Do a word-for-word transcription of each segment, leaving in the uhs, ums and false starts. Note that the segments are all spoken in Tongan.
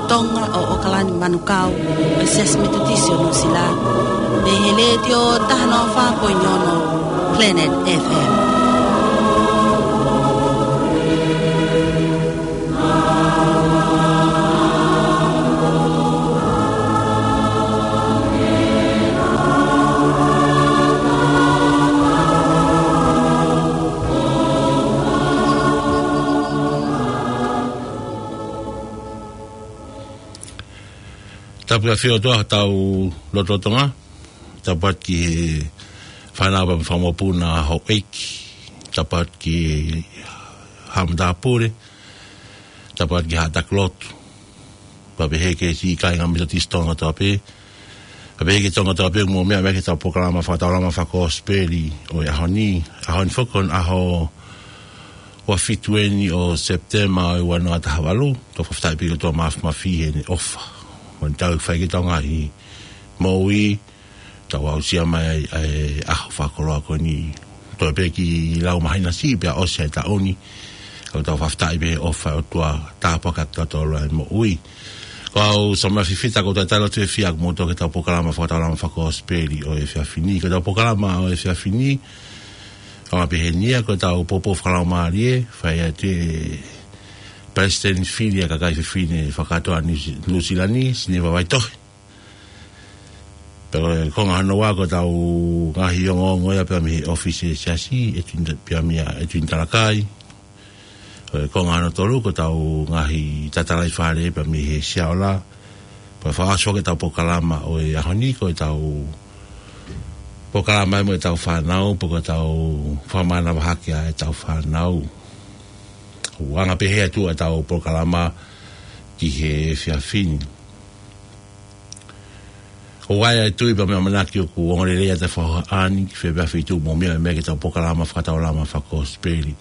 Tonga ʻo ʻOkalani Manukau, ʻo e Siasi Metotisi ʻo Nuʻusila, mei he Letiō taha noa fā poini ono Planet F M. Tapu ʻa e ʻOtua ʻi hotau lotolotonga. Tapu atu ki he fānau pea mo e fanga mokopuna houʻeiki. Tapu atu ki he haʻa matāpule. Tapu atu ki he haʻa taki lotu. Pea pehē ki he siʻi kāinga Metotisi Tonga kotoa pē. Pea pehē ki he Tonga kotoa pē, mou meʻa mai ki heʻetau polokalama fakataulama fakakosipeli ʻo e ʻaho ni. ʻAho ni foki ko e ʻaho ua fitu eni ʻo Sepitema ʻo e ua noa taha valu. Tau fakafetaʻi pē ki he ʻOtua Māfimafi heʻene ʻofa. Mo ʻene tauhi fai ki heʻetau ngaahi moʻui, tau aʻusia mai ai ʻa e ʻaho fakakoloa ko eni. Toe pē kiʻi lau māhina siʻi pea ʻosi ʻa e taʻu ni. Ka tau fakafetaʻi pē he ʻofa ʻa e ʻOtua, tāpuaki ʻa kitautolu ʻa e moʻui. Ko au Soma Fifita, ko e talitali lotu fiefia ʻaʻaku moutolu ki heʻetau polokalama fakataulama fakakosipeli ʻo e efiafi ni. Ko ʻetau polokalama ʻo e efiafi ni, ʻoku pehē ni ia: ko ʻetau poupou fakalaumālie, fai atu ʻe he Palesiteni Fili ʻa e Kakai Fefine Fakakātoa Nuʻu-, Nuʻusila ni, Sineva Vaitohi. Pea ko e konga hono ua, ko ʻetau ngaahi ongoongo ia pea mei he ʻōfisi ʻo e Siasi, ʻEtuina-, pea mei a ʻEtuina Talakai. Ko e konga hono tolu, ko ʻetau ngaahi tatalaifale pea mei he Siaola. Pea fakaʻosi foki ʻetau polokalama ʻo e ʻaho ni, ko ʻetau polokalama mo ʻetau fānau, pe ko ʻetau fakamānava hake ʻa ʻetau fānau. ʻOku anga pehē atu ʻetau polokalama ki he efiafi ni. ʻOku ʻi ai ʻa e tui pea mo e ʻamanaki ʻoku ongo lelei ʻa e tafaʻaki ni ki he efiafi ni, mou meʻa mai ki heʻetau polokalama fakataulama fakakosipeli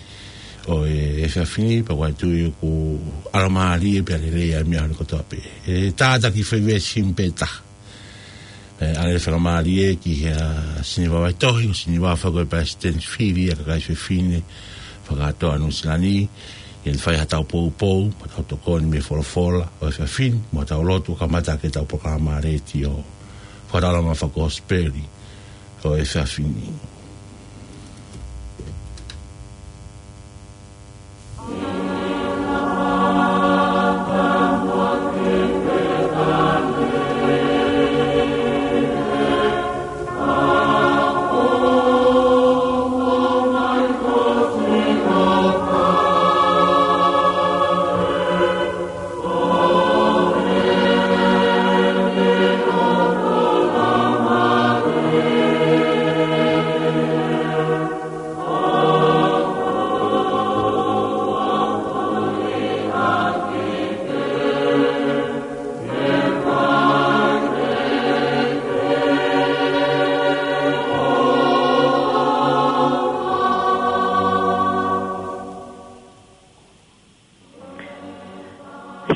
ʻo e efiafi ni, pea ʻoku ʻi ai ʻa e tui ʻoku ʻalomālie pea lelei ʻa e meʻa hono kotoa pē. ʻE tātaki fai veesi simu pē taha. ʻE, ʻa e fakamālie ki he, ʻa, Sineva Vaitohi, ko Sineva foki ko e Palesiteni Fili ʻa e Kakai Fefine Fakakātoa Nuʻusila ni, ʻi heʻene fai haʻatau poupou, mo ʻetau tokoni mei he folofola ʻo e efiafi ni, mo ʻetau lotu ʻo kamata ʻaki ʻetau polokalama letiō fakataulama fakakosipeli ʻo e efiafi ni.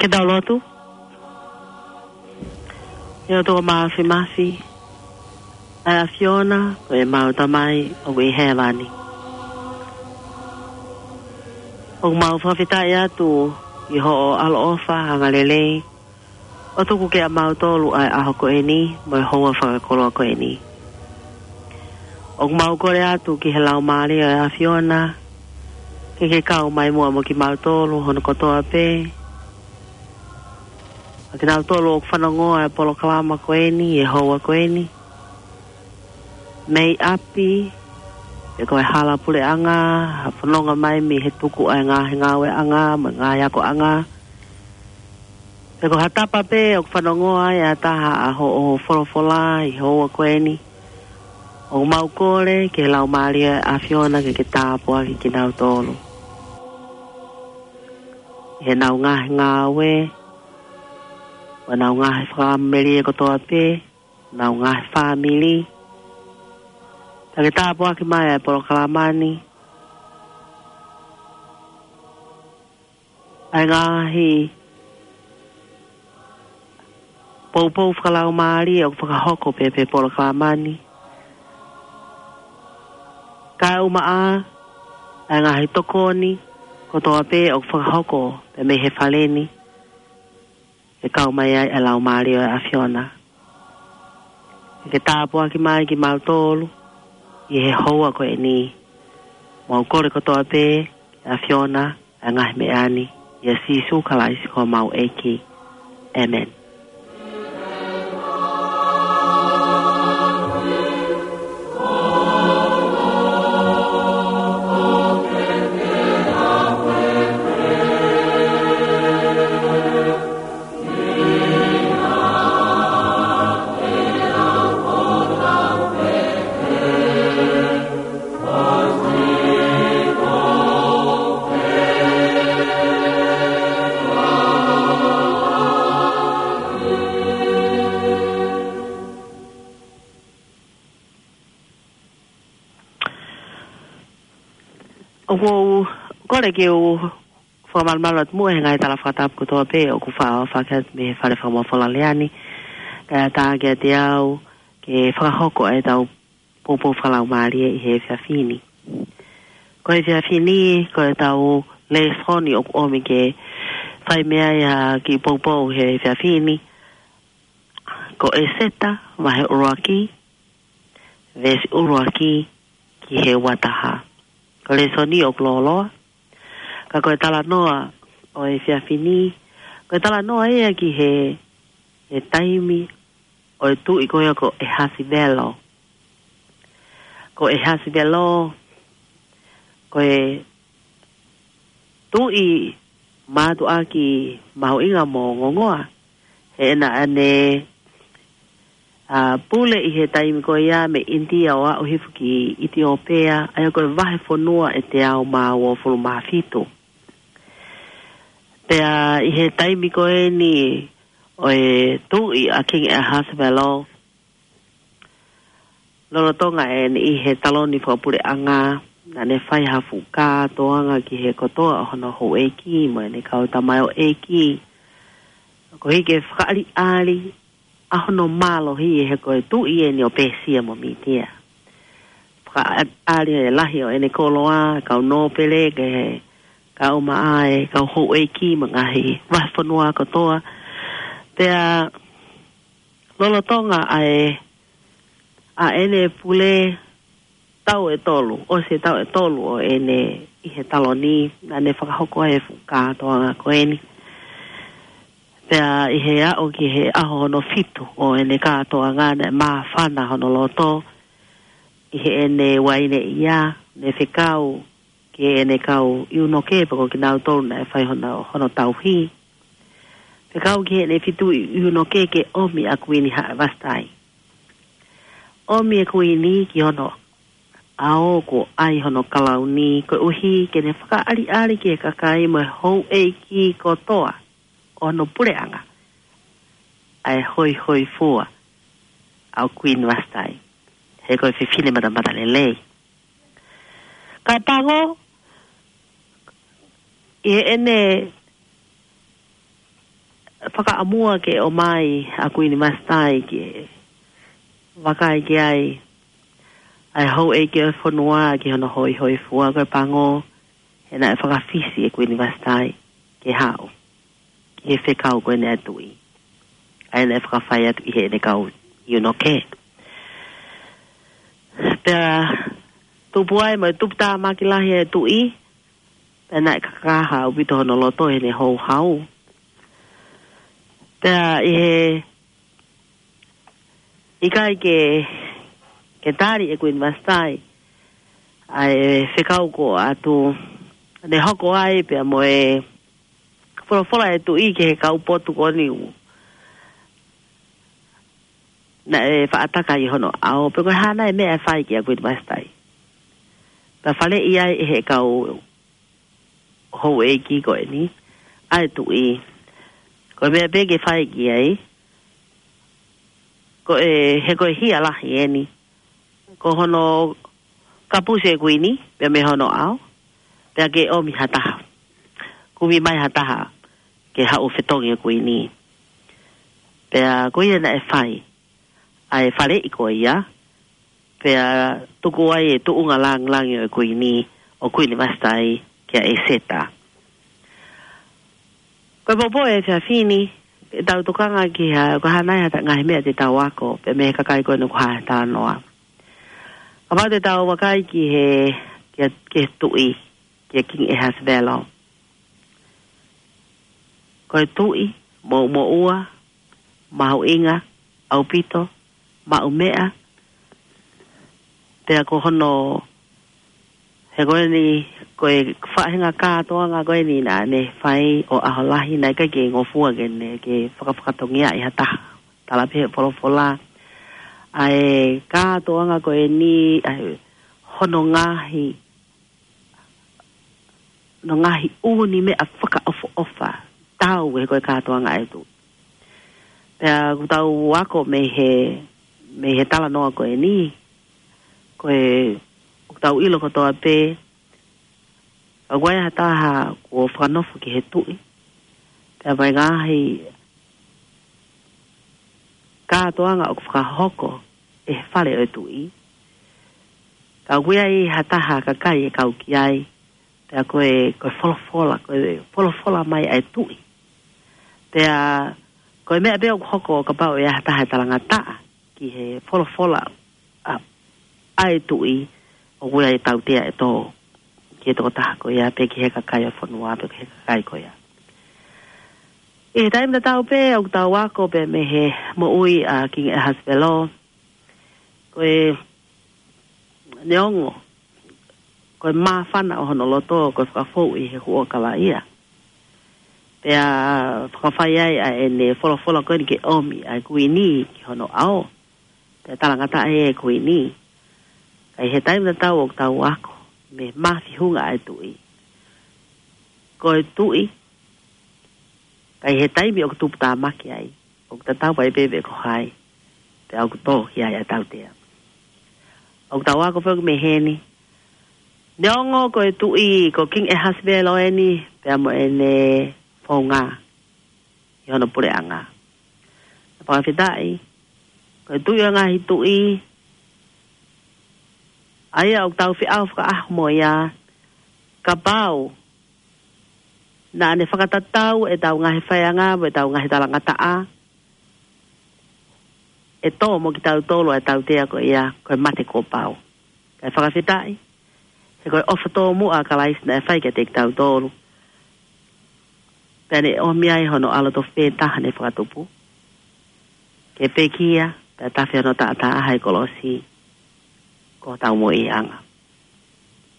Ke tau lotu. ʻE ʻOtua Māfimafi, ʻa e ʻAfiona, ko ʻemau Tamai ʻoku ʻi hēvani. ʻOku mau fakafetaʻi atu ʻi hoʻo ʻaloʻofa angalelei, ʻo tuku kiate kimautolu ʻa e ʻaho ko eni, mo e houa fakakoloa ko eni. ʻOku mau kole atu ki he Laumālie ʻo e ʻAfiona, ke ke kau mai muʻa mo kimautolu hono kotoa pē. ʻA kinautolu ʻoku fanongoa ʻa e polokalama ko eni, ʻi he houa ko eni. Mei ʻapi, pe ko e hala puleʻanga, ha fononga mai mei he tuku ʻa e ngaahi ngāueʻanga, mo e ngaahi akoʻanga. Pe ko ha tapa pē ʻoku fanongoa ai ʻa e taha ʻa hoʻo folofola ʻi he houa ko eni. ʻOku mau kole ki he Laumālie ʻo e ʻAfiona ke ke tāpuakiʻi kinautolu. ʻI heʻenau ngaahi ngāue, ʻenau ngaahi fakamelie kotoa pē, ʻenau ngaahi fāmili. Pea ke tāpuakiʻi mai ʻa e polokalama ni. ʻA e ngaahi poupou fakalaumālie ʻoku fakahoko pē pē polokalama ni. Kae ʻumaʻā ʻa e ngaahi tokoni kotoa pē ʻoku fakahoko pē mei he fale ni. ke kau mai ai ʻa e Laumālie ʻo e ʻAfiona. Ke tāpuaki mai kimautolu ʻi he houa ko eni. Mau kole kotoa pē, ʻAfiona, ʻa e ngaahi meʻa ni, ʻia Sīsū Kalaisi ko homau ʻEiki. ʻĒmeni. ʻOku ou kole ke u fakamalumalu atu muʻa he ngaahi tala fakatapu kotoa pē ʻoku fakahoko atu mei he Fale Fakamafola Lea ni, kae ʻatā kiate au ke fakahoko ʻetau poupou fakalaumālie ʻi he efiafi ni. Ko e efiafi ni, ko ʻetau lēsoni ʻoku ʻomi ke fai mei ai ʻa e kiʻi poupou he efiafi ni, ko ʻEseta, vahe ʻuluaki, veesi ʻuluaki ki he uataha. Ko e lēsoni ʻoku lōloa, ka ko e talanoa ʻo e efiafi ni, ko e talanoa ia ki he, he taimi ʻo e tuʻi ko ia ko ʻEhasivelo. Ko ʻEhasivelo, ko e tuʻi mātuʻaki mahuʻinga mo ongoongoa, he naʻa ne, ʻa, pule ʻi he taimi ko ia mei ʻInitia ʻo aʻu hifo ki ʻItiopea, ʻa ia ko e vahefonua ʻe teau mā uofulu mā fitu. Pea ʻi he taimi ko eni ʻo e tuʻi ʻa Kingi ʻEhasivelo, lolotonga ʻene ʻi he taloni fakapuleʻanga, naʻa ne fai ha fuʻu kātoanga ki he kotoa ʻo hono houʻeiki mo ʻene kau tamaioʻeiki, koeʻuhi ke fakaʻaliʻali ʻa hono mālohi, he ko e tuʻi eni ʻo Pēsia mo Mītia. Fakaʻaliʻali e lahi ʻo ʻene koloa, kau nōpele, ke kau maʻa e kau houʻeiki mo e ngaahi vahefonua kotoa. Pea lolotonga ʻa e, ʻa ʻene pule taʻu ʻe tolu, ʻosi e taʻu ʻe tolu ʻo ʻene ʻi he taloni, naʻa ne fakahoko ai e fuʻu kātoanga ko eni. Pea ʻi he aʻu ki he ʻaho hono fitu ʻo ʻene kātoanga, naʻe māfana hono loto ʻi heʻene uaineʻia, ne fekau ki heʻene kau ʻiunoke, pe ko kinautolu naʻe fai hono, hono tauhi. Fekau ki heʻene fitu ʻiunoke ke ʻomi ʻa Kuini Vasitai. ʻOmi e kuini ki hono ʻao kuo ʻai hono kalauni, koeʻuhi ke ne fakaʻaliʻali ki he kakai mo e houʻeiki kotoa ʻo hono puleʻanga ʻa e hoihoifua ʻa Kuini Vasitai, he ko e fefine matamatalelei. Ka pango, ʻi heʻene fakaʻamua ke ʻomai ʻa Kuini Vasitai ke vakai ki ai ʻa e houʻeiki ʻo e fonua ki hono hoihoifua, ko e pango, he naʻe fakafisi ʻe Kuini Vasitai ke haʻu ki he fekau ko eni ʻa e tuʻi, ʻa ia naʻe fakafai atu ʻi heʻene kau ʻiunoke. Pea tupu ai mo e tuputāmaki lahi e tuʻi, pea naʻe kakaha ʻaupito hono loto heʻene houhau. Pea ʻi he ʻikai ke, ke tali ʻe Kuini Vasitai ʻa e fekau kuo ʻoatu, ne hoko ai pea mo e folofola e tuʻi ki he kau potu ko eni naʻe faʻa taka ʻi hono ʻao, pe ko e hā nai e meʻa ʻe fai kia Kuini Vasitai. Pea faleʻi ai ʻe he kau houʻeiki ko eni ʻa e tuʻi, ko e meʻa pē ke fai ki ai, ko e, he ko e hia lahi eni, ko hono kapusi e kuini pea mei hono ʻao, pea ke ʻomi ha taha, kumi mai ha taha ke haʻu fetongi e kuini. Pea ko ia naʻe fai ʻa e faleʻi ko ia, pea tuku ai e tuʻunga lāngilangi ʻo e kuini, ʻo Kuini Vasitai, kia ʻEseta. Ko e poupou e efiafi ni, ʻetau tokanga ki ha, ko e hā nai ha ta-, ngaahi meʻa te tau ako, pea mei he kakai ko eni ʻoku hā he talanoa. Kapau te tau vakai ki he, ki he, ki he tuʻi, ki he King Ahasuerus. Ko e tuʻi, moʻumoʻua, mahuʻinga ʻaupito, maʻu meʻa, pea ko hono, he ko eni, ko e faʻahinga kātoanga ko eni naʻa ne fai ʻo ʻaho lahi naʻe ʻikai ke ngofua ke ne, ke fakafakatongiaʻi ha taha. Tala pē he folofola, ʻa e kātoanga ko eni, ʻa e hono ngaahi, hono ngaahi ʻū meʻa fakaʻofoʻofa, tau he ko e kātoanga ʻa e tuʻi. Pea ʻoku tau ako mei he, mei he talanoa ko eni, ko e, ʻoku tau ʻilo kotoa pē, ka ʻoku ʻi ai ha taha kuo fakanofo ki he tuʻi, pea mo e ngaahi kātoanga ʻoku fakahoko ʻe he fale ʻo e tuʻi. Ka ʻoku ʻi ai ha taha kakai ʻe kau ki ai, pea ko e, ko e folofola, ko e folofola mai ʻa e tuʻi. Pea ko e meʻa pē ʻoku hoko kapau ʻe ʻi ai ha taha ʻe talangataʻa ki he folofola ʻa, ʻa e tuʻi, ʻoku ʻi ai e tautea ʻe tō ki he tokotaha ko ia, pe ki he kakai ʻo e fonua, pe ki he kakai ko ia. ʻI he taimi tatau pē, ʻoku tau ako pē mei he moʻui ʻa King Ahasuerus, ko e neongo, ko e māfana ʻo hono loto, ko e fakafou ʻi he huʻakavaʻia. Pea fakafai ai ʻa ʻene folofola ko eni ke ʻomi ʻa e kuini ki hono ʻao. Pea talangataʻa e kuini. Ka ʻi he taimi tatau ʻoku tau ako, mei he mafihu ʻa e tuʻi. Ko e tuʻi, ka ʻi he taimi ʻoku tuputāmaki ai, ʻoku tatau ai pē pe ko hai, pea ʻoku tō ki ai ʻa e tautea. ʻOku tau ako foki mei heni, neongo ko e tuʻi, ko King Ahasuerus eni, pea mo ʻene founga ʻi hono puleʻanga. Fakafetaʻi, ko e tuʻi ʻo e ngaahi tuʻi, ʻa ia ʻoku tau feʻao fakaʻaho mo ia, kapau naʻa ne fakatatau ʻetau ngaahi faiʻanga, mo ʻetau ngaahi talangataʻa, ʻe tō mo kitautolu ʻa e tautea ko ia, ko e mate kuo pau. Kae fakafetaʻi, he ko e ʻofa tōmuʻa ʻa Kalaisi naʻe fai kiate kitautolu. Pea ne ʻomi ai hono ʻAlo tofu pē taha ne fakatupu, ke pekia, pea tafe hono taʻataʻa ʻi he kolosi, ko hotau moʻuiʻanga.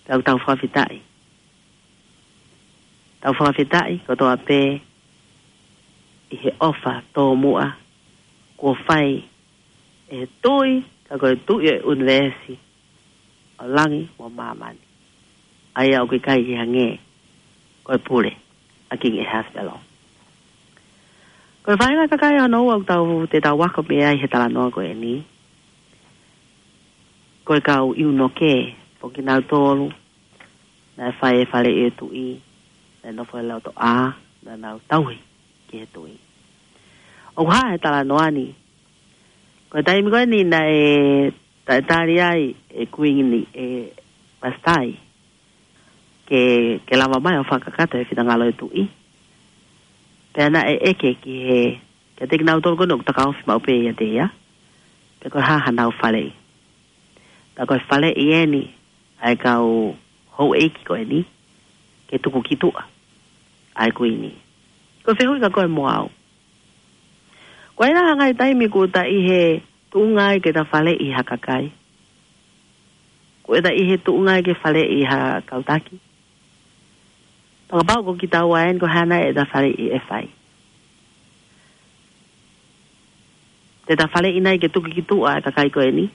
Pea ʻoku tau fakafetaʻi. Tau fakafetaʻi kotoa pē ʻi he ʻofa tōmuʻa kuo fai ʻe he tuʻi, ka ko e tuʻi ʻo e ʻunivēsi, ʻo langi mo māmani. ʻA ia ʻoku ʻikai ke hangē ko e pule ʻa King Ahasuerus. Ko e faʻahinga kakai hono ua ʻoku tau, te tau ako mei ai he talanoa ko eni, ko e kau ʻiunoke, ko kinautolu naʻe fai e faleʻi e tuʻi, naʻe nofo he lautoʻa, naʻa nau tauhi ki he tuʻi. ʻOku hā he talanoa ni, ko e taimi ko eni naʻe taʻetali ai e kuini, ʻe Vasitai, ke, ke lava mai ʻo fakakakato e finangalo e tuʻi. Pea naʻe ʻeke ki he, kiate kinautolu ko eni ʻoku takaofi maʻu pē ʻiate ia, pe ko e hā hanau faleʻi. Pea ko e faleʻi eni ʻa e kau houʻeiki ko eni, ke tuku ki tuʻa ʻa e kuini. Ko e fehuʻi kia koe mo au, ko e hā e ngaahi taimi ʻoku ta ʻi he tuʻunga ai ke ta faleʻi ha kakai? ʻOku ta ʻi he tuʻunga ai ke faleʻi ha kau taki? Pea kapau ko kitaua eni, ko e hā nai ʻeta faleʻi ʻe fai? Te ta faleʻi nai ke tuku ki tuʻa e kakai ko eni?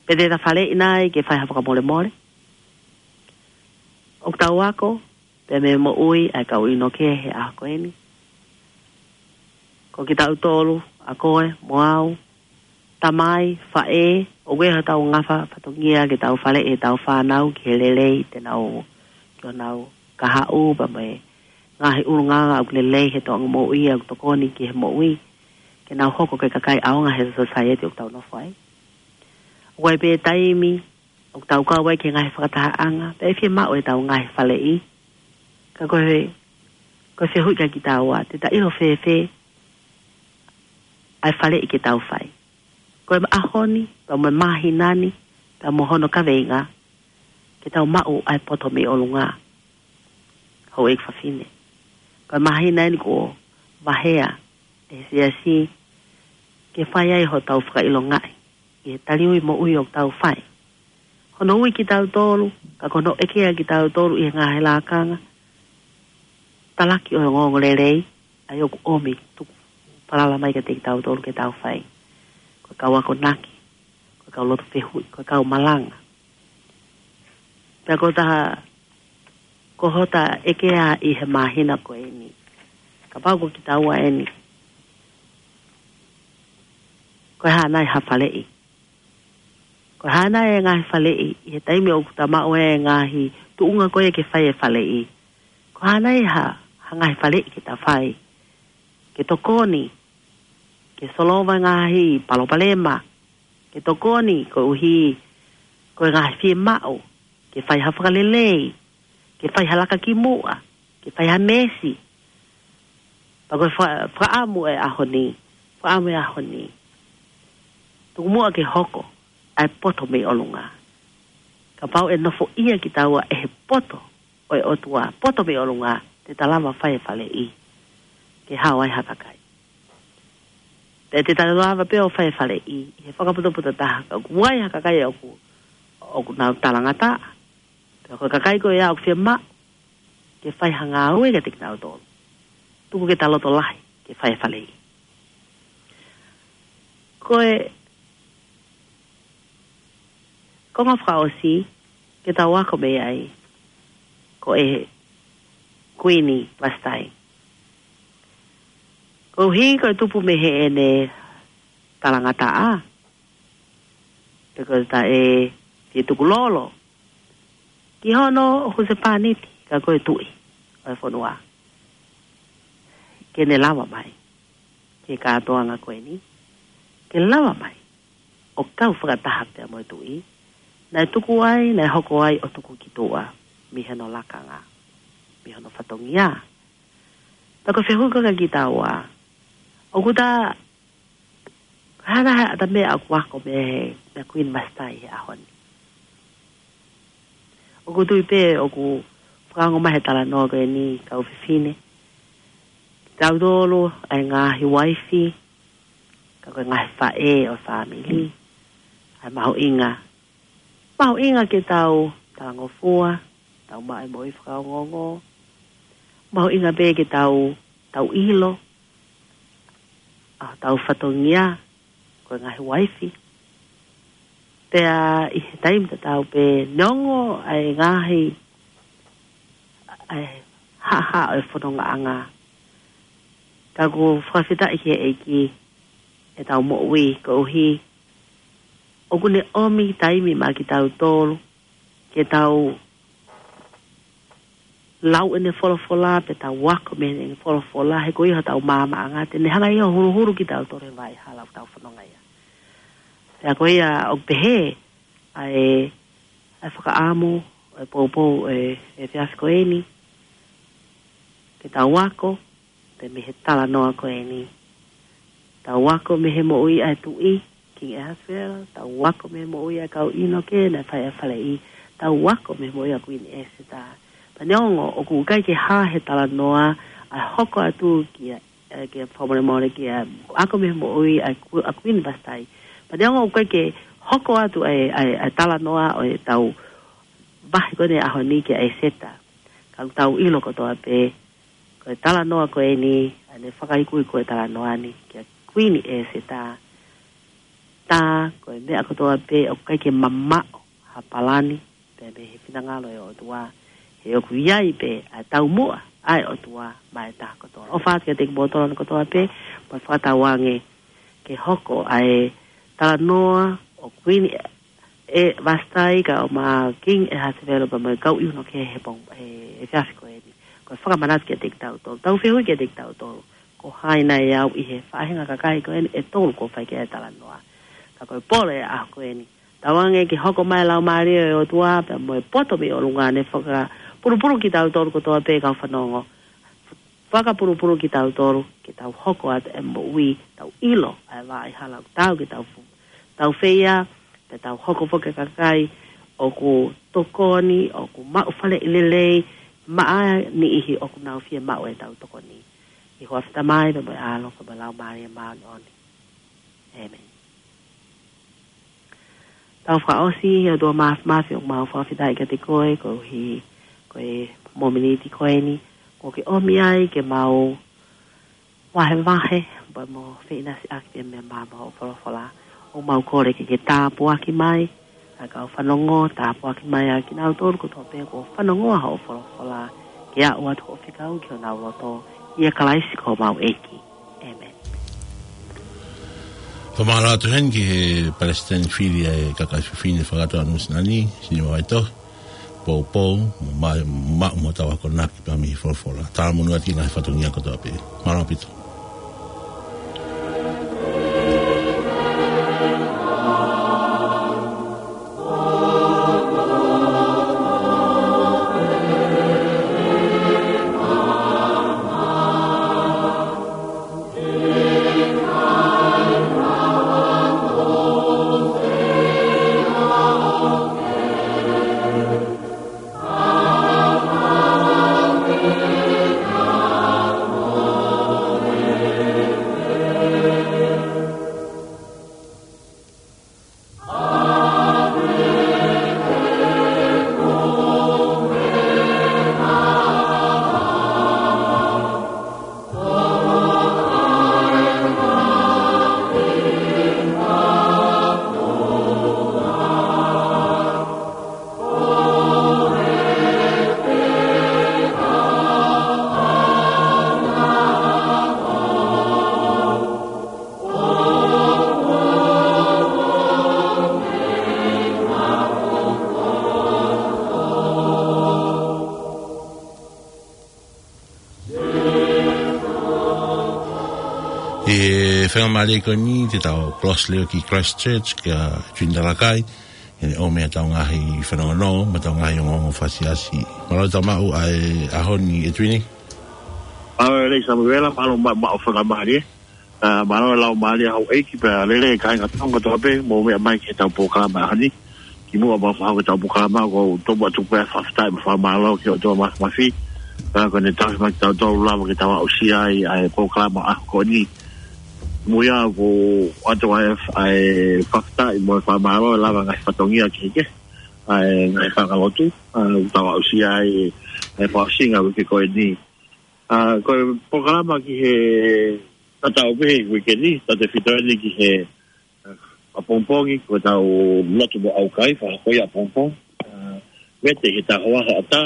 Pe te ta faleʻi nai ke fai ha fakamolemole? ʻOku tau ako pē mei he moʻui ʻa e kau ʻiunoke he ʻaho ko eni, ko kitautolu, ʻa koe mo au, tamai, faʻē, ʻoku ʻi ai hotau ngaahi fatongia ke tau faleʻi ʻetau fānau ki he lelei te nau, ki honau kahaʻu, pea mo e ngaahi ʻulungaanga ʻoku lelei he toʻonga moʻui, ʻoku tokoni ki he moʻui, ke nau hoko ko e kakai ʻaonga he sōsaieti ʻoku tau nofo ai. ʻOku ʻi ai pē taimi ʻoku tau kau ai ki he ngaahi fakatahaʻanga, pea ʻe fiemaʻu ʻetau ngaahi faleʻi. Ka ko e, Ko e fehuʻi kia kitaua, te ta ʻilo fēfē ʻa e faleʻi ke tau fai? Ko e ʻaho ni, pea mo e māhina ni, pea mo hono kaveinga, ke tau maʻu ʻa e poto mei ʻolunga. Houʻeiki fafine. Ko e māhina eni kuo vaheʻi ʻe he siasi ke fai ai hotau fakaʻilongaʻi ʻi he taliui moʻui ʻoku tau fai. Hono ui kitautolu, ka ko hono ʻekea kitautolu ʻi he ngaahi lakanga, talaki ʻo e ongoongolelei, ʻa ia ʻoku ʻomi tuku falala mai kiate kitautolu ke tau fai. Ko e kau akonaki, ko e kau lotu fehuʻi, ko e kau malanga. Pea ko e taha, ko hota ʻekea ʻi he māhina ko eni. Kapau ko kitaua eni, ko e hā nai ha faleʻi? Ko e hā nai e ngaahi faleʻi, ʻi he taimi ʻoku ta maʻu e ngaahi tuʻunga ko ē ke fai e faleʻi? Ko e hā nai ha, ha ngaahi faleʻi ke ta fai? Ke tokoni, ke solova e ngaahi palopalema, ke tokoni koeʻuhi ko e ngaahi fiemaʻu, ke fai ha fakalelei, ke fai ha laka ki muʻa, ke fai ha meesi. Pea ko e fa-, fakaʻamu e ʻaho ni, fakaʻamu e ʻaho ni. Tuku muʻa ke hoko ʻa e poto mei ʻolunga. Kapau ʻe nofoʻia kitaua ʻe he poto ʻo e ʻOtua, poto mei ʻolunga, te ta lava fai e faleʻi ke hao ai ha kakai. Pea te ta lava pē ʻo fai e faleʻi ʻi he fakapotopoto taha, ka ʻoku ʻi ai ha kakai ʻoku, ʻoku nau talangataʻa. Pea ko e kakai ko ia ʻoku fiemaʻu ke fai ha ngāue kiate kinautolu. Tuku ke ta loto lahi ke fai e faleʻi. Ko e konga fakaʻosi ke tau ako mei ai, ko e Kuini Vasitai. Koeʻuhi ko e tupu mei heʻene talangataʻa, pe ko e taʻe fie tuku lolo ki hono husepāniti, ka ko e tuʻi ʻo e fonua, ke ne lava mai ki he kātoanga ko eni, ke lava mai ʻo kau fakataha pea mo e tuʻi naʻe tuku ai, naʻe hoko ai ʻo tuku ki tuʻa mei hono lakanga, mei hono fatongia. Pea ko e fehuʻi ko ē kia kitaua, ʻoku ta, ko e hā nai ha ʻata meʻa ʻoku ako mei he, mei he Kuini Vasitai he ʻaho ni? ʻOku ou tui pē ʻoku fakaongo mai he talanoa ko eni, kau fefine, kitautolu ʻa e ngaahi uaifi, ka ko e ngaahi faʻē ʻo e fāmili, ʻa e mahuʻinga, mahuʻinga ke tau talangofua, tau maʻu e moʻui fakaongoongo, mahuʻinga pē ke tau, tau ʻilo ʻa hotau fatongia ko e ngaahi uaifi. Pea ʻi he taimi tatau pē, neongo ʻa e ngaahi, ʻa e haʻahaʻa ʻo e fonongaʻanga, ka ʻoku fakafetaʻi ki he ʻEiki ʻetau moʻui, koeʻuhi ʻoku ne ʻomi taimi maʻa kitautolu ke tau lau ʻene folofola, pe tau ako mei heʻene folofola, he ko ia hotau maamaʻanga, te ne hanga ia ʻo huluhulu kitautolu he vaʻa hala ʻoku tau fononga ai. Pea ko ia ʻoku pehē ʻa e, ʻa e fakaʻamu ʻo e poupou ʻo e, ʻo e efiafi ko eni, ke tau ako pē mei he talanoa ko eni. Tau ako mei he moʻui ʻa e tuʻi, King Ahasuero, tau ako mei he moʻui ʻa e kau ʻino ke naʻe fai ʻa e faleʻi, tau ako mei he moʻui ʻa Kuini ʻEseta. Pea neongo ʻoku ʻikai ke hā he talanoa ʻa e hoko atu ki he, ʻe, ki he fakamolemole ki he ako mei he moʻui ʻa e Ku-, ʻa Kuini Vasitai. Pea neongo ʻoku ʻikai ke hoko atu ʻa e, ʻa e, ʻa e talanoa ʻo ʻetau vahe ko eni ʻaho ni kia ʻEseta, ka ʻoku tau ʻilo kotoa pē, ko e talanoa ko eni, ʻa ʻene fakaikuiku e talanoa ni kia Kuini ʻEseta, tā ko e meʻa kotoa pē ʻoku ʻikai ke mamaʻo ha palani pē mei he finangalo ʻo e ʻOtua, he ʻoku ʻi ai pē ʻa e taumuʻa ʻa e ʻOtua maʻa e taha kotoa. ʻOfa atu kiate kimoutolu kotoa pē, mo fakatauange ke hoko ʻa e talanoa ʻo Kuini ʻe Vasitai kae ʻumaʻā ʻa King Ahasuero pea mo e kau ʻino ke he pong, he, he efiafi ko eni. Ko e fakamanatu kiate kitautolu, tau fehuʻi kiate kitautolu, ko hai nai au ʻi he faʻahinga kakai ko eni ʻe tolu kuo fai ki ai e talanoa. Ka ko e pole ʻo e ʻaho ko eni, tauange ke hoko mai e Laumālie ʻo e ʻOtua pea mo e poto mei ʻolunga ne fakapulupulu kitautolu kotoa pē kau fanongo. fakapulupulu kitautolu, ke tau hoko atu e moʻui, tau ʻilo ʻa e vaʻa hala ʻoku tau ke tau fu-, tau feia, pea tau hoko foki ko e kakai ʻoku tokoni, ʻoku maʻu faleʻi lelei maʻa e niʻihi ʻoku nau fiemaʻu ʻetau tokoni. ʻI he huafa ʻo e Tamai, pea mo e ʻAlo, pea mo e Laumālie Māʻoniʻoni. ʻĒmeni. Tau fakaʻosi, ʻOtua Māfimafi, ʻoku mau fakafetaʻi kiate koe, koeʻuhi ko e momeniti ko eni kuo ke ʻomi ai ke mau vahevahe, pea mo feʻinasiʻaki pea mo e maama hoʻo folofola. ʻOku mau kole ke ke tāpuaki mai ʻa e kau fanongo, tāpuaki mai ʻa kinautolu kotoa pē kuo fanongo ʻa hoʻo folofola, ke aʻu atu hoʻo fekau ki honau loto, ʻia Kalaisi ko homau ʻEiki. ʻĒmeni. Fakamālō atu heni ki he palesiteni fili ʻa e Kakai Fefine Fakakātoa Nuʻu Sila ni, Siniva Vaitohi, poupou, mo ma-, ma-, mo tau akonaki pea mei he folofola. Talamonū atu ki he ngaahi fatongia kotoa pē. Mālō ʻaupito. ʻI he faingamālie ko eni te tau close leva ki Christchurch kia Twin Talakai, ʻene ʻomi ʻetau ngaahi fanongonongo mo ʻetau ngaahi ongoongo fakaʻosi. Mālō e tau maʻu ʻa e ʻaho ni ʻe Twin. Mālō e lelei Samuela, mālō ma-, maʻu faingamālie. ʻA, mālō e laumālie houʻeiki pea lelei kāinga Tonga kotoa pē, mou meʻa mai ki heʻetau polokalama ʻaho ni. Kimuʻa pea u fakahoko ʻetau polokalama, ʻoku ou tuku atu pē ʻa e fakafetaʻi mo e fakamālō ki he ʻOtua Māfimafi, pea ko ʻene tauhi mai kitautolu lava ke tau aʻusia ai ʻa e polokalama ʻaho ko eni. Mo ia ʻoku ʻoatu ai ʻa e fakafetaʻi mo e fakamālō ʻi he lava ngaahi fatongia kehekehe ʻa e ngaahi fanga lotu, ʻa, ʻoku tau aʻusia ai ʻa e fakaʻosinga uike ko eni. ʻA, ko e polokalama ki he tatau pē he uike ni, tautautefito eni ki he, ʻa, ʻapongipongi, ko ʻetau lotu mo ʻaukai, fakahoko ia ʻapongipongi. ʻA, vete he taha ua hoʻatā,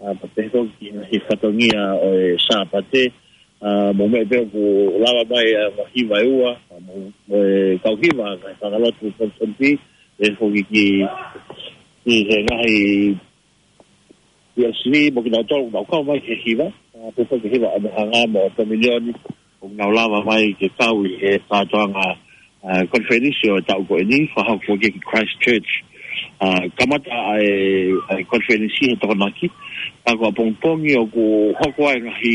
ʻa, pea pehē foki ki he fatongia ʻo e Sāpate, ʻa, mou meʻa pē ʻoku lava mai ʻa e hiva ʻe ua, ʻa, mo, mo e kau hiva, ngaahi fanga lotu Pulotesitaniti, pehē foki ki, ki he ngaahi P L C mo kinautolu ʻoku nau kau mai ki he hiva, ʻa, pehē foki ki he hiva ʻa Moʻunga mo Tominioni, ʻoku nau lava mai ke kau ʻi he kātoanga, ʻa, konifelenisi ʻo e taʻu ko eni, fakahoko foki ki Christchurch. ʻA, kamata ʻa e, ʻa e konifelenisi he Tokonaki, ʻa, ko ʻapongipongi ʻoku hoko ai ngaahi,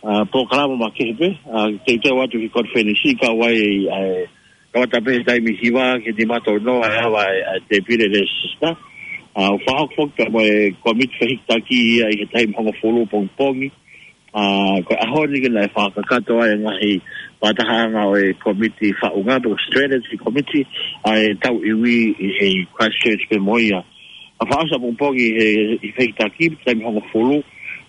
ʻa, polokalama makehe pē, ʻa, teuteu atu ki he konifelenisi kau ai, ʻa e, kamata pē he taimi hiva ki he nima tonu ʻa e ava ʻa e, ʻa e tēpile lēsisita. ʻA, ʻoku fakahoko foki pea mo e kōmiti fehikitaki ia ʻi he taimi hongofulu ʻapongipongi. ʻA, ko e ʻaho ni ke naʻe fakakakato ai e ngaahi fakatahaʻanga ʻo e kōmiti faʻunga, pe ko e strategy committee, ʻa e tau iwi ʻi he Christchurch pē mo ia. ʻA, fakaʻosi ʻapongipongi he, ʻi he fehikitaki, taimi hongofulu.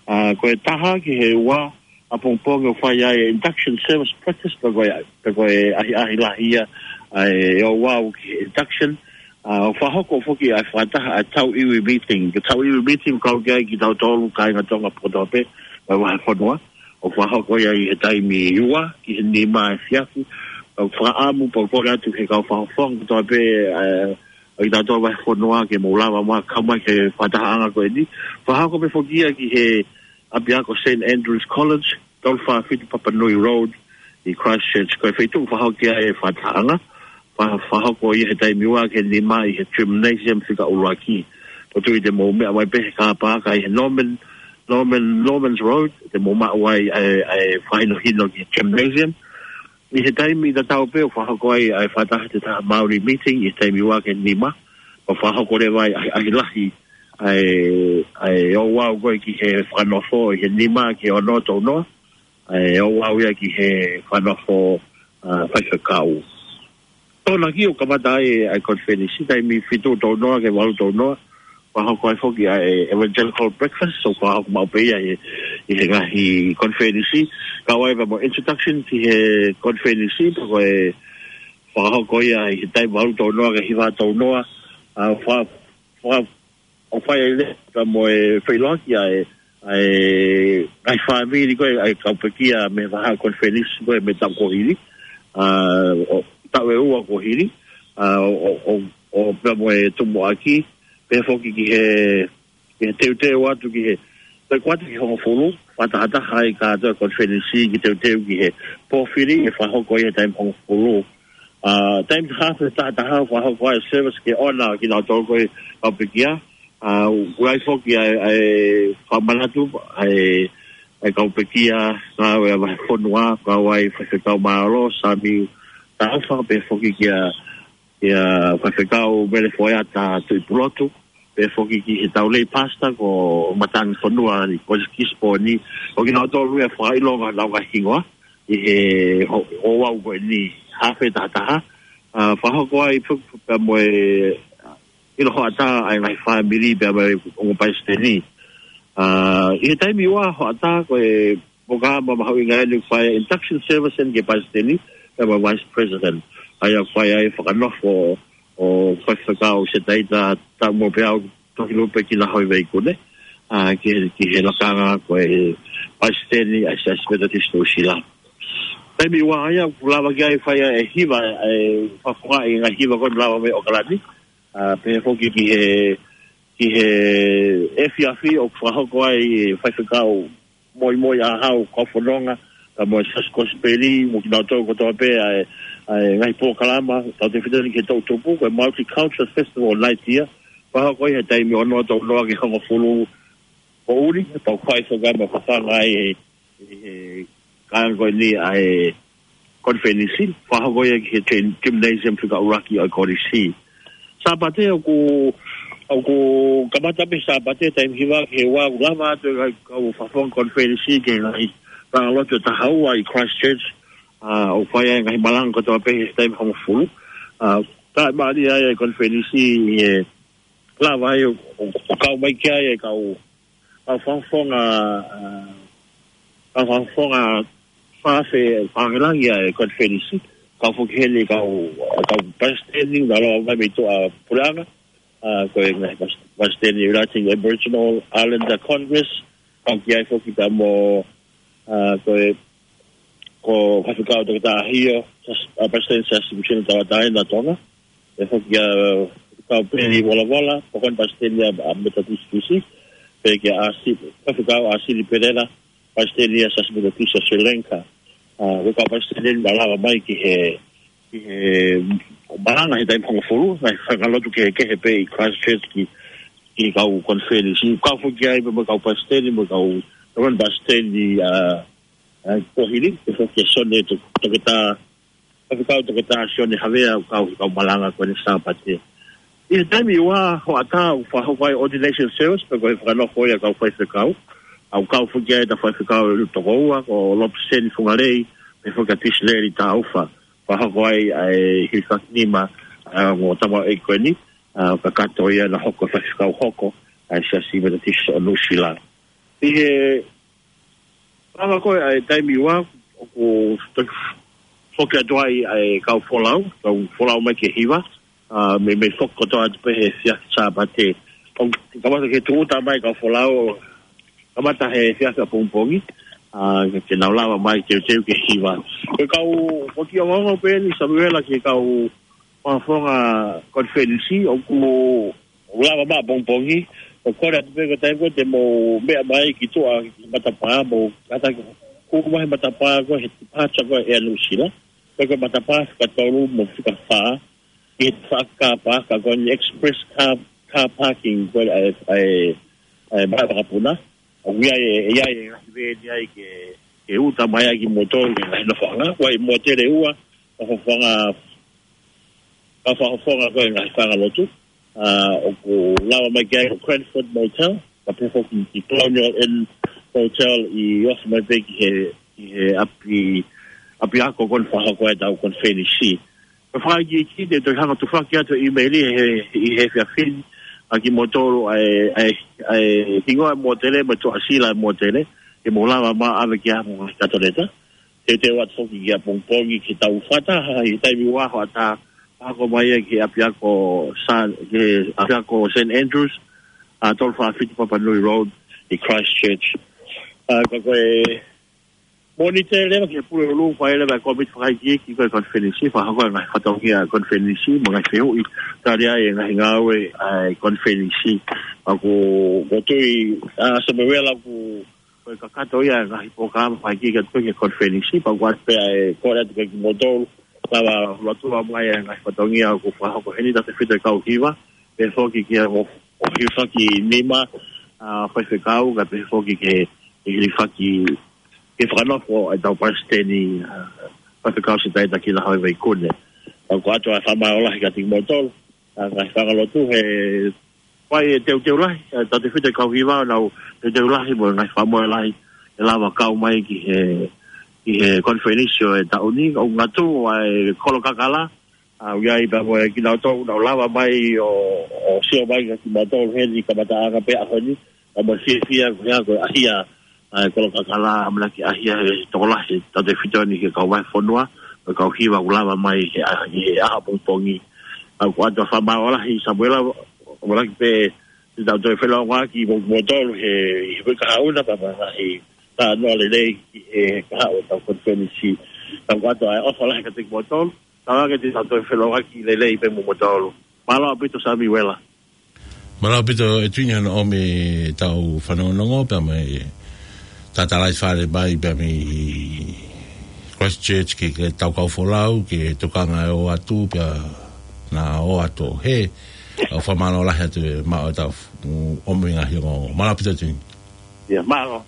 ʻA, ko e taha ki he ua, ʻapongipongi ʻoku fai ai e induction service practice, pe ko e, pe ko e ʻahiʻahi lahi ia, ʻa e ʻo ua ʻo ki he induction. ʻA, ʻoku fakahoko foki ʻa e fakataha ʻa e tau iwi meeting. Ko e tau iwi meeting ʻoku kau ki ai kitautolu kāinga Tonga kotoa pē, ʻa e vahefonua. ʻOku fakahoko ia ʻi he taimi ua ki he nima efiafi. ʻOku fakaʻamu pea u kole atu ki he kau fakafofonga kotoa pē, ʻa, ʻa kitautolu vahefonua ke mou lava mai kau mai ki he fakatahaʻanga ko eni. Fakahoko pē foki ia ki he ʻapiako Saint Andrew's College, tolu fā fitu Papanui Road, ʻi Christchurch. Ko e feituʻu fakahoko ai e fakatahaʻanga, fa-, fakahoko ia he taimi ua ki he nima ʻi he gymnasium fika ʻuluaki. Pea ʻoku ou tui te mou meʻa mai pē he kāpaka ʻi he Norman, Norman, Norman's Road, te mou maʻu ai ʻa e, ʻa e fakahinohino ki he gymnasium. ʻI he taimi tatau pē ʻoku fakahoko ai ʻa e fakataha te taha Māori meeting, ʻi he taimi ua ki he nima, ʻo fakahoko leva ai ʻa e, ʻa e lahi, ʻa e, ʻa e ouau ko ē ki he fakanofo, ʻi he nima ki he ono tau noa, ʻa e ouau ia ki he fakanofo, ʻa, faifekau. Tōnaki ʻoku kamata ai ʻa e konifelenisi, taimi fitu tau noa ki he valu tau noa, fakahoko ai foki ʻa e evangelical breakfast, so fakahoko maʻu pē ia ʻi he, ʻi he ngaahi konifelenisi, kau ai pea mo e introduction ki he konifelenisi, pea ko e fakahoko ia ʻi he taimi valu tau noa ki he hiva tau noa, ʻa, fa-, fa-, ʻo fai ai leva pea mo e feʻiloaki ʻa e, ʻa e ngaahi fāmili ko ē, ʻa e kau pekia mei he vahaʻa konifelenisi ko ē mei he taʻu kuo hili, ʻa, ʻo, taʻu ʻe ua kuo hili, ʻa, ʻo, ʻo, ʻo, ʻo pea mo e tumuʻaki, pea foki ki he, ki he teuteu atu ki he, toe kuata ki he hongofulu, fakatahataha ai kātoa e konifelenisi ki he teuteu ki he pō fili, ʻe fakahoko ia he taimi hongofulu. ʻA, taimi hafe tahataha, fakahoko ai e service ke ʻoua kinautolu ko ē kau pekia. ʻA, ʻoku ʻi ai foki ʻa e, ʻa e fakamanatu, ʻa e, ʻa e kau pekia, ngāue ʻa e vahefonua, kau ai Faifekau Mālō, Sami Taufa, pea foki kia, kia Faifekau Mele Foeata Tuʻipulotu, pea foki ki he tau lay pastor ko Matangi Fonua ʻi Kosi Kisiponi, ʻo kinautolu ia fakaʻilonga ʻenau ngaahi hingoa, ʻi he ho-, ouau ko eni hafe tahataha. ʻA, fakahoko ai foki pea mo e ʻilo hoʻatā ʻa e ngaahi fāmili pea mo e ongo palesiteni. ʻA, ʻi he taimi ua hoʻatā ko e polokalama mahuʻinga eni ʻoku fai ai e induction service eni ki he palesiteni pea mo e vice president. ʻA ia ʻoku fai ai e fakanofo ʻo Faifekau Setaita Taumōpeau Tohilupe Kinahoiveikune, ʻa, ki he, ki he lakanga ko e palesiteni ʻa e Siasi Metotisi Nuʻusila. Taimi ua ia ʻoku lava ki ai fai ʻa e hiva, ʻa e fakafofongaʻi e ngaahi hiva ko eni lava mei ʻOkalani, ʻa, pehē foki ki he, ki he efiafi ʻoku fakahoko ai e faifekau Moimoiʻāhau Kaufononga, pea mo e Siasi Kosipeli, mo kinautolu kotoa pē ʻa e, ʻa e ngaahi polokalama, tautefito eni ki he toʻutupu, ko e Multicultural Festival Night ia, fakahoko ia he taimi ono tau noa ki he hongofulu poʻuli, pea ʻoku fai foki ai mo e fafanga ai e, e, e kāinga ko eni ʻa e konifelenisi, fakahoko ia ki he gym-, gymnasium fika ʻuluaki ʻo e kolisi. Sāpate ʻoku, ʻoku kamata pē Sāpate taimi hiva ki he ua ʻoku lava atu e kau fakafofonga konifelenisi ki he ngaahi langa lotu ʻe taha ua ʻi Christchurch, ʻa, ʻoku fai ai e ngaahi malanga kotoa pē he taimi hongofulu. ʻA, taʻemālie ai e konifelenisi ʻi he lava ai ʻo, ʻo, ʻo kau mai ki ai e kau, kau fakafofonga, ʻa, kau fakafofonga fakafe-, fakalangilangi ʻa e konifelenisi, kau foki heni kau, kau palesiteni, naʻa nau lava mai mei tuʻa puleʻanga, ʻa, ko e ngaahi pas-, palesiteni Uniting Aboriginal Islander Congress, kau ki ai foki pea mo, ʻa, ko e, ko Faifekau Toketā ʻAhio, Sias-, ʻa, palesiteni Siasi Misiona Tauʻatāina ʻa Tonga, pea foki kia Faifekau Peli Volavola, ko e palesiteni ʻa, ʻa Metotisi Fisi, pea kia ʻAsi-, Faifekau ʻAsili Pelela, palesiteni ʻa e Siasi Metotisi ʻa Sri Lanka. ʻA, ko e kau palesiteni naʻa nau lava mai ki he, ki he malanga he taimi hongofulu, ngaahi langa lotu kehekehe pē ʻi Christchurch ki, ki he kau konifelenisi. Kau foki ai pea mo e kau palesiteni, mo e kau, kau palesiteni, ʻa, ʻa, kuo hili, pea foki kia Sione To-, Toketā, Faifekau Toketā Sione Havea, ʻoku kau he kau malanga ko eni Sāpate. ʻI he taimi ua hoʻatā ʻoku fakahoko ai e ordination service, pea ko e fakanofo ia e kau faifekau. ʻA, ʻoku kau foki ai ʻeta faifekau ʻe toko ua, ko Lopeseni Fungalei, pea foki kia Tisileli Taufa. Fakahoko ai ʻa e hilifaki nima, ʻa, ʻo e ongo tamaioʻeiki ko eni, ʻa, kakato ia naʻa hoko faifekau hoko ʻa e Siasi Metotisi ʻo Nuʻusila. ʻI he lava ko ē ʻa e taimi ua, ʻoku toki foki atu ai ʻa e kau folau, kau folau mai ki he hiva, ʻa, mei, mei foki kotoa atu pē he efiafi Sāpate. ʻOku kamata ke tūʻuta mai e kau folau, kamata he efiafi ʻapongipongi, ʻa, ke, ke nau lava mai teuteu ki he hiva. Ko e kau, ko e kiʻi ongoongo pē eni Samuela ki he kau fakafofonga konifelenisi, ʻoku lava mai ʻapongipongi, ʻo kole atu pē ko e taimi ko ē te mou meʻa mai ki tuʻa ki matapā, mou kātaki hū mai he matapā ko ē he departure ko ē ʻa Nuʻusila. Ko e, ko e matapā fika tolu mo e fika fā, ki he tafaʻaki car park, ʻa ko eni express car, car parking ko ē ʻa e, ʻa e, ʻa e vahaʻa vakapuna. ʻOku ʻi ai e, ʻi ai e ngaahi veni ai ke, ke uta mai ai kimoutolu ki he ngaahi nofoʻanga. ʻOku ʻi ai e mōtele ua, ka fafanga, ka fakafofonga ko e ngaahi fanga lotu. ʻA, ʻoku lava mai ki ai ko Cranford Motel, ka pehē foki ki Colonial Inn Hotel ʻi ofi mai pē ki he, ki he ʻapi, ʻapiako ko eni fakahoko ai ʻetau konifelenisi. Ko e fakaikiiki te u toe hanga ʻo tufaki atu e ʻīmeili he, ʻi he efiafi ni, ʻa kimoutolu ʻa e, ʻa e, ʻa e hingoa e mōtele, mo e tuʻasila e mōtele, ke mou lava mai ʻo ʻave ki ai hoʻomou ngaahi katoneta. Teuteu atu foki ki ʻapongipongi ki he tau fakataha, ʻi he taimi ua hoʻatā, fakahoko mai ia ki he ʻapiako San, ki he ʻapiako Saint Andrews, ʻa tolu fā fitu Papanui Road, ʻi Christchurch. ʻA, ka ko e Mōnite leva ki he Pulelulu, fai leva e kōmiti fakaikiiki ko e konifelenisi, fakahoko e ngaahi fatongia konifelenisi, mo e ngaahi fehuʻi, tali ai e ngaahi ngāue ʻa e konifelenisi. ʻOku, ʻoku ou tui, ʻa, Samuela, ʻoku, ko e kakato ia e ngaahi polokalama fakaikiiki atu ki he konifelenisi, pea ʻoku ʻoatu pē ʻa e kole atu kiate kimoutolu, lava ʻo lotua mai e ngaahi fatongia ʻoku fakahoko heni, tautefito e kau hiva, pehē foki ki he ʻo, ʻo hilifaki nima, ʻa, faifekau, kae pehē foki ki he, ki he hilifaki, ki he fakanofo ʻetau palesiteni, ʻa, Faifekau Sitaita Kila Havea Vaikune. ʻOku ʻoatu ʻa e fakamālō lahi kiate kimoutolu, ʻa, ngaahi fanga lotu he fai e teuteu lahi, ʻa, tautefito e kau hiva ʻo nau teuteu lahi mo e ngaahi fakamolemole lahi ʻe lava kau mai ki he, ki he konifelenisi ʻo e taʻu ni, ʻo ngatu ʻa e kolo kakala, ʻa, ʻoku ʻi ai pea mo e kinautolu ʻoku nau lava mai ʻo, ʻo sio mai kiate kimoutolu heni kamataʻanga pē ʻaho ni, ʻa, mo e fiefia ko ia ko e ʻahia, ʻa, e kolo kakala, ʻamanaki ʻahia he tokolahi, tautefito ni ki he kau vahefonua, mo e kau hiva ʻoku lava mai he, ʻa, he ʻaho pongipongi. ʻOku ʻoatu ʻa e fakamālō lahi Samuela, ʻamanaki pē te tau toe felōngoaki mo, moutolu he, he uike kahaʻu na, pea mo e ngaahi talanoa lelei ki he kahaʻu ʻetau konifelenisi. ʻOku ʻoatu ʻa e ʻofa lahi kiate kimoutolu, tala ke te tau toe felōngoaki lelei pē mo moutolu. Mālō ʻaupito Samuela. Mālō ʻaupito ʻEtuini hono ʻomi ʻetau fanongonongo pea mei Tatalaifale mai pea mei Christchurch ki he tau kau folau ki he tokanga ʻo ʻoatu pea naʻa ʻoatu he ʻoku fakamālō lahi atu e maʻu ʻetau f-, ʻomi ngaahi ongoongo. Mālō ʻaupito ʻEtuini. ʻIa, mālō.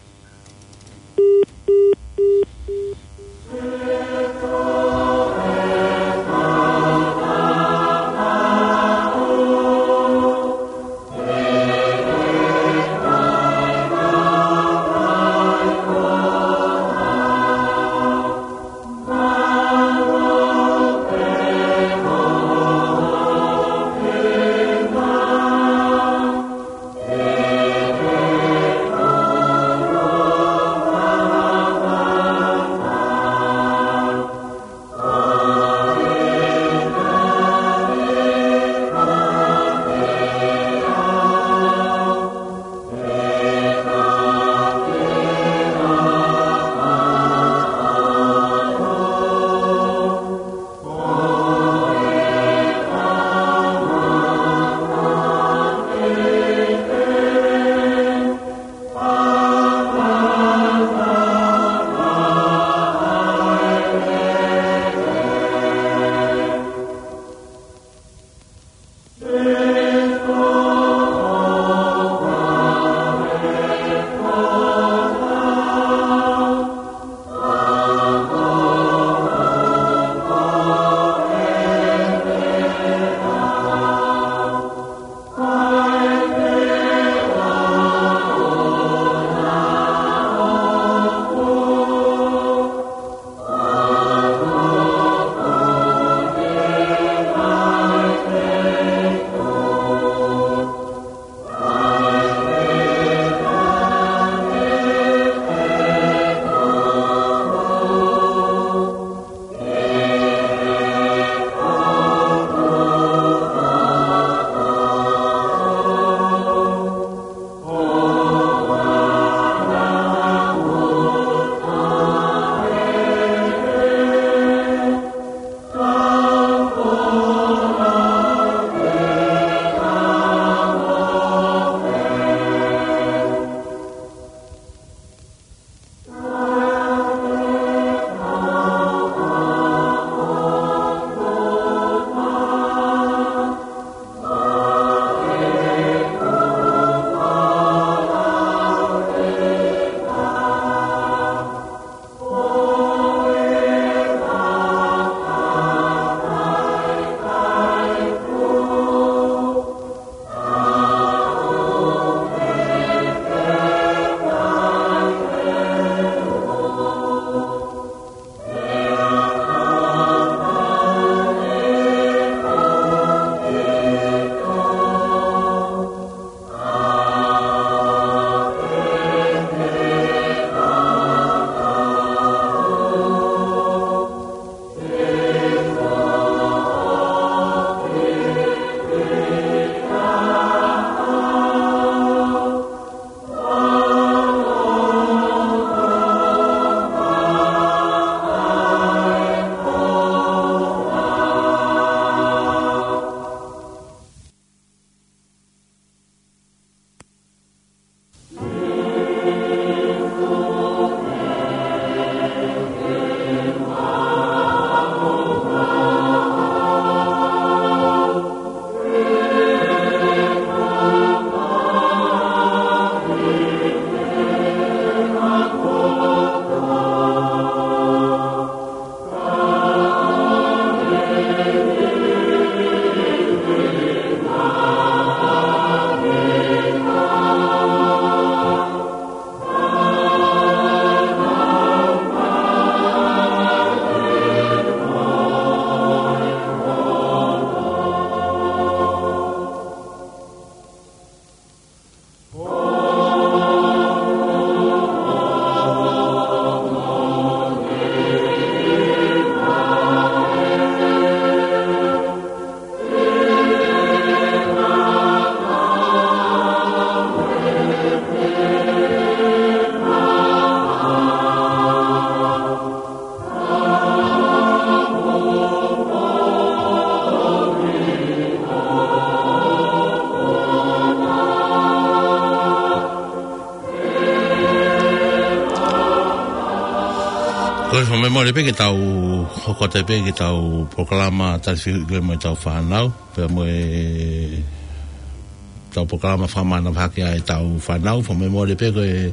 Ko e fakamemole pē ke tau hoko atu pē ki heʻetau polokalama tali fehuʻi ko ē mo ʻetau fānau, pea mo ʻetau polokalama fakamanavahē ʻa ʻetau fānau, fakamemole pē ko e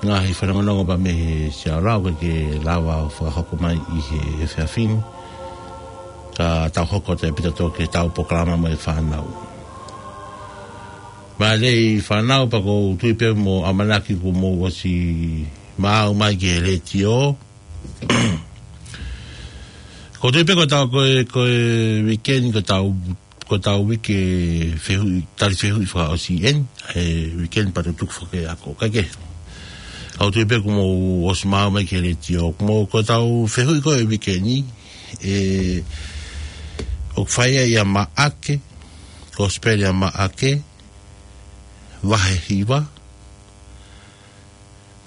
ngaahi fanongonongo pē mei he Siaola ʻoku ʻikai ke lava ʻo fakahoko mai ʻi he efiafi ni. Ka tau hoko atu pē tautolu ki heʻetau polokalama mo e fānau. Mālō e fānau, pea ʻoku ou tui pē mo ʻamanaki kuo mou ʻosi maau mai ki he letiō. ʻOku ou tui pē ko ʻetau, ko e, ko e weekend, ko ʻetau, ko ʻetau uike fehuʻi, tali fehuʻi fakaʻosi eni, ʻa e weekend pea tuku foki e ako. Kae kehe, ʻoku ou tui pē kuo mou ʻosi maau mai ki he letiō. Kuo mou, ko ʻetau fehuʻi ko e weekend ni, ʻe, ʻoku fai ia ʻia Maʻake, Kosipeli ʻa Maʻake, vahe hiva,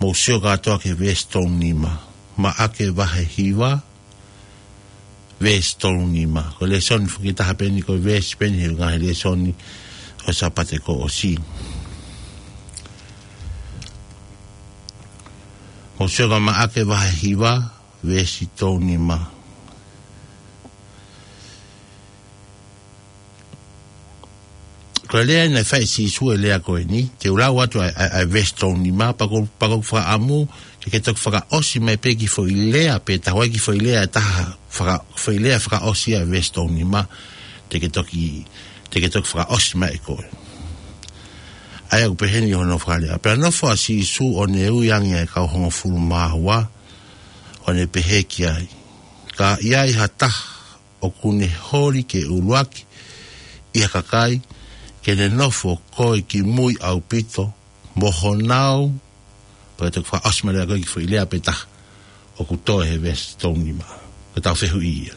mou sio kātoa ki he veesi tolu nima. Maʻake vahe hiva, veesi tolu nima. Ko e lēsoni foki ʻe taha pē eni, ko e veesi pē eni he ngaahi lēsoni ʻo e Sāpate kuo ʻosi. Mou sio ki Maʻake vahe hiva, veesi tolu nima. Ko e lea naʻe fai ʻe Sīsū, e lea ko eni, te u lau atu ʻa e, ʻa e, ʻa e veesi tolu nima, pea ʻoku, pea ʻoku ou fakaʻamu ke ke toki fakaʻosi mai pē e kiʻi foʻi lea pē taha, ʻa e kiʻi foʻi lea ʻe taha, faka-, foʻi lea fakaʻosi ʻa e veesi tolu nima, te ke toki, te ke toki fakaʻosi mai ʻe koe. ʻA ia ʻoku pehē ni hono fakalea: Pea nofo ʻa Sīsū ʻo ne ui ange ʻa e kau hongofulu mā ua, ʻo ne pehē ki ai, Ka ʻi ai ha taha ʻoku ne holi ke ʻuluaki ʻi ha kakai, ke ne nofo ko ē ki mui ʻaupito, mo honau, pea toki fakaʻosi mai leva ko e kiʻi foʻi lea pē taha ʻoku toe he veesi tolu nima. Ko ʻetau fehuʻi ia.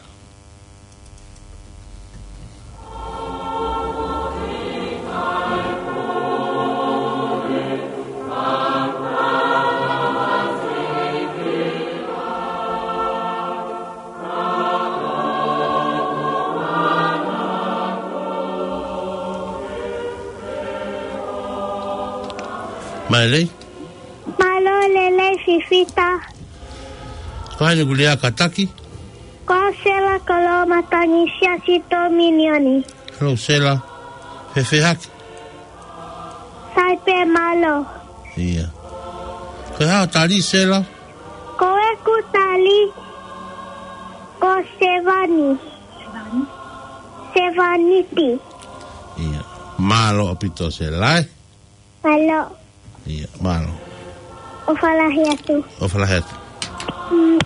Mālō e lelei. Mālō e lelei Fifita. Ko hai ʻoku lea kātaki? Ko Sela Koloa, matangi Siasi Tōminioni. Hello, Sela. Fēfē hake? Sai pē, mālō. ʻIo. Ko e hā hoʻo tali, Sela? Ko ʻeku tali, ko Sevani. Sevaniti. ʻIo. Mālō ʻaupito, Sela, ē? Mālō. ʻIo, mālō. ʻOfa lahi atu. ʻOfa lahi atu. Mm.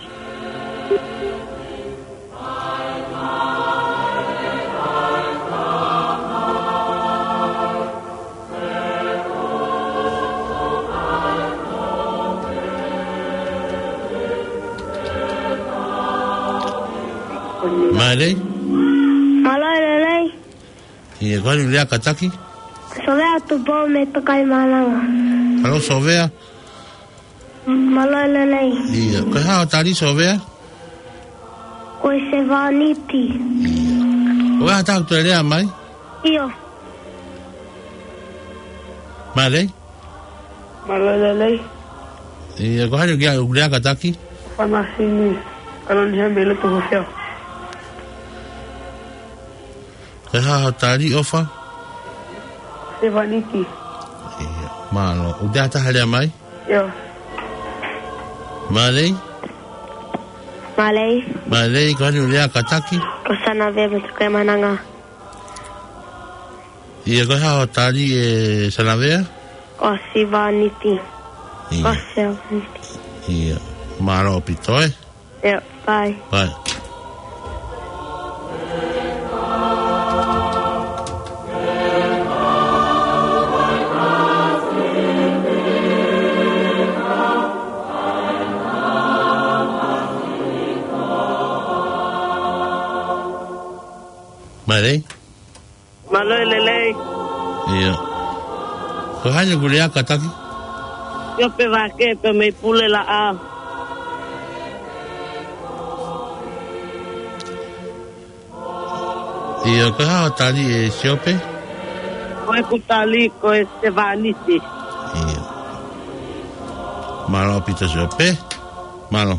Mālō. Mālō e lelei. ʻIo, ko hai ʻoku lea kātaki? Sovea Tupou mei Tokaimaʻananga. Hello, Sovea. Mālō e lelei. ʻIo, ko e hā hoʻo tali, Sovea? Ko e Sevaniti. ʻIo. Ko e hā ha taha ʻoku toe lea mai? ʻIo. Mālō. Mālō e lelei. ʻIo, ko hai ʻoku lea kātaki? Fanasini Kaloni he mele tu hosea. Ko e hā hoʻo tali, ʻOfa? Sevaniti. ʻIo, mālō. ʻOku toe ha taha lea mai? ʻIo. Mālō. Mālō. Mālō, ko hai ʻoku lea kātaki? Ko Sanavea mei Tokaimaʻananga. ʻIo, ko e hā hoʻo tali, ʻe Sanavea? Ko Sevaniti. ʻIo. Ko Sevaniti. ʻIo, mālō ʻaupito, ē? ʻIo, bye. Bye. Mālō. Mālō e lelei. ʻIo. Ko hai ʻoku lea kātaki? Siope Vake pē mei Pulelaʻā. ʻIo, ko e hā hoʻo tali, ʻe Siope? Ko ʻeku tali ko e Sevaniti. ʻIo. Mālō ʻaupito, Siope. Mālō.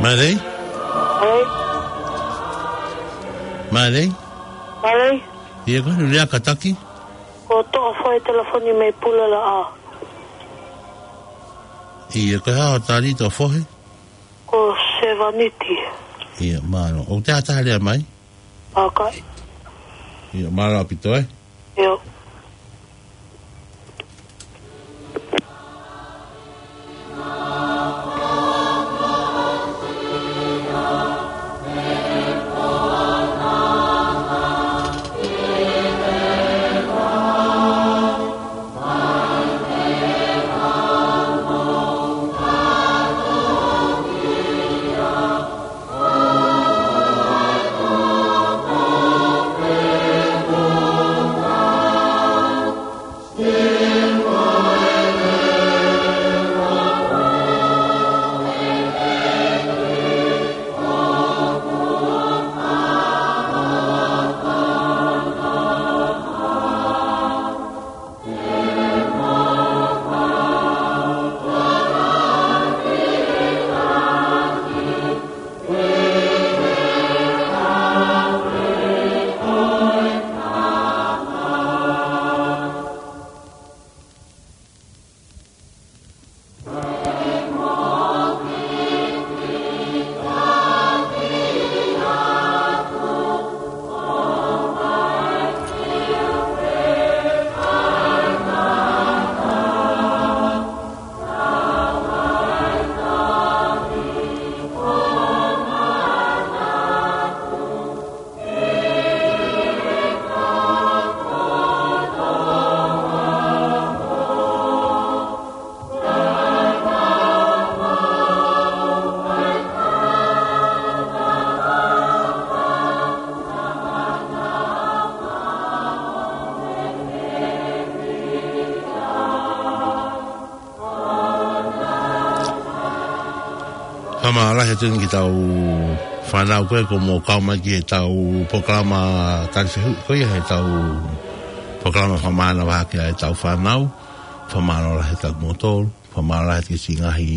Mālō. Mālō. Mālō. Mālō. ʻIo, ko e hā hoʻo lea, kātaki? Ko Toʻofohe, telefoni mei Pulelaʻa. ʻIo, ko e hā hoʻo tali, Toʻofohe? Ko Sevaniti. ʻIo, mālō. ʻOku ʻi ai ha taha lea mai? ʻOku ʻi ai. ʻIo, mālō ʻaupito, ē? ʻIo. Fakamālō lahi atu ki heʻetau fānau ko ē kuo mou kau mai ki heʻetau polokalama tali fehuʻi ko ia, heʻetau polokalama fakamānava hake ʻa ʻetau fānau. Fakamālō lahi atu kiate kimoutolu. Fakamālō lahi atu ki he ngaahi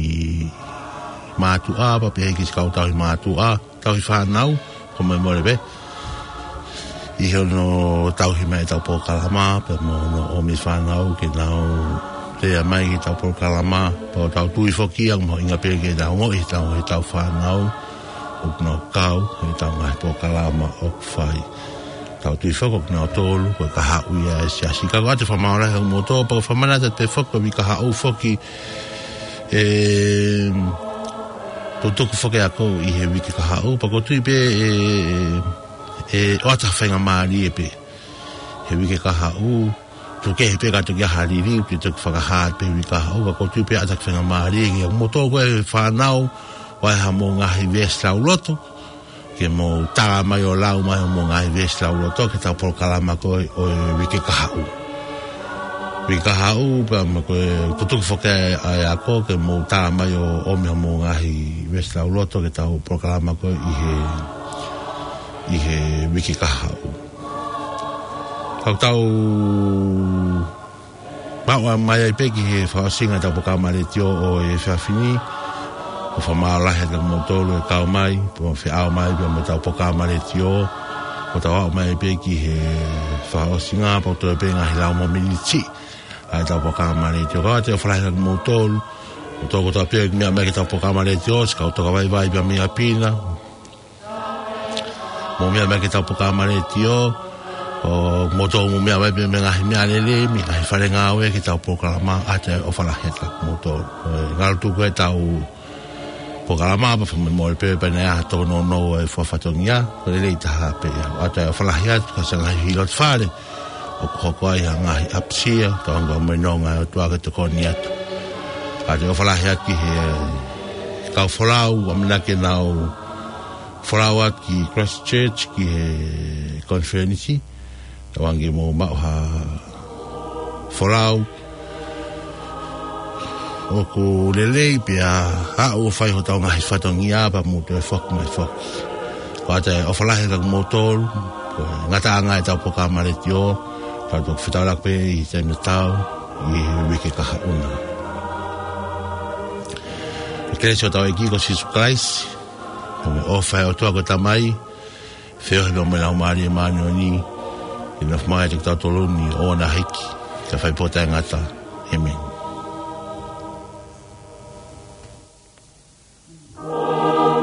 mātuʻa, pea pehē ki he kau tauhi mātuʻa, tauhi fānau, ko e meʻa mole pē. ʻI hono tauhi mai ʻetau polokalama, pea mo hono ʻomi fānau ke nau lea mai ki heʻetau polokalama, pea ʻoku tau tui foki ʻoku mahuʻinga pē ke nau ongoʻi ʻe heʻetau, heʻetau fānau ʻoku nau kau heʻetau ngaahi polokalama ʻoku fai. Tau tui foki ʻoku nau tolu, ko e kahaʻu ia ʻa e siasi. Ka ko ʻetau fakamālō lahi atu kiate kimoutolu, pea ko e fakamanatu pē foki ko e uike kahaʻu foki, ʻe, tutuku foki ʻa e ako ʻi he uike kahaʻu, pea ʻoku ou tui pē ʻe, ʻe, ʻe ʻoatu ha faingamālie pē he uike kahaʻu, tuku kehe pē ka toki ʻi ai ha liliu, ke toki fakahā pē he uike kahaʻu, ka ʻoku ou tui pē ʻe ʻoatu ha faingamālie kiate kimoutolu ko e fānau, ʻoku ʻi ai haʻamou ngaahi veesi lauloto, ke mou tala mai ʻo lau mai hoʻomou ngaahi veesi lauloto ki heʻetau polokalama ko ē ʻo e uike kahaʻu. Uike kahaʻu, pea mo e tutuku foki ʻa e ako ke mou tala mai ʻo ʻomi hoʻomou ngaahi veesi lauloto ki heʻetau polokalama ko ē ʻi he, ʻi he uike kahaʻu. Ka ʻoku tau maʻu mai ai pē ki he fakaʻosinga ʻetau polokalama letiō ʻo e efiafi ni. ʻOku fakamālō lahi atu kiate kimoutolu ʻoku kau mai, pea mo feʻao mai pea mo ʻetau polokalama letiō. ʻOku tau aʻu mai pē ki he fakaʻosinga, pea ʻoku toe pē ngaahi lau mo e miniti ʻa ʻetau polokalama letiō. Ka ʻoatu e ʻofa lahi atu kiate kimoutolu. Ko kimoutolu kotoa pē ʻoku mou meʻa mai ki heʻetau polokalama letiō, siʻi kau tokavaivai pea mei ʻapi na. Mou meʻa mai ki heʻetau polokalama letiō, ʻo mou toe mou meʻa mai pē mei he ngaahi meʻalele, mei he ngaahi fale ngāue ki heʻetau polokalama, ʻoatu e ʻofa lahi atu kiate kimoutolu. ʻE, ngalo tuku ʻetau polokalama, pea fakamolemole pē, pea naʻe ʻi ai ha tōnounou ʻa e fua fatongia, ko e lelei taha pē ia. ʻOatu e ʻofa lahi atu, ka ʻoku ʻi ai ha ngaahi hilo ʻi fale ʻoku hoko ai ha ngaahi ʻapasia, ka ʻoku ou ʻofa atu ki he ʻOtua ke tokoni atu. ʻOatu e ʻofa lahi atu ki he kau folau, ʻamanaki ke nau folau atu ki Christchurch, ki he konifelenisi, ʻo hangē mou maʻu ha folau ʻoku lelei pea ʻoku fai hotau ngaahi fatongia pea mou toe foki mai foki. ʻOatu e ʻofa lahi atu kiate kimoutolu, ko e ngataʻanga ʻetau polokalama letiō, tau toki fetaulaki pē ʻi he taimi tatau, ʻi he uike kahaʻu na. Ko e kelesi ʻa hotau ʻEiki ko Sīsū Kalaisi, Mo e ʻofa ʻa e ʻOtua ko e Tamai, feohi mo e Laumālie Māʻoniʻoni, ke nofo mai ʻiate kitautolu ni ʻo ʻoua naʻa hiki, ka fai pē ʻo taʻengata. ʻĒmeni.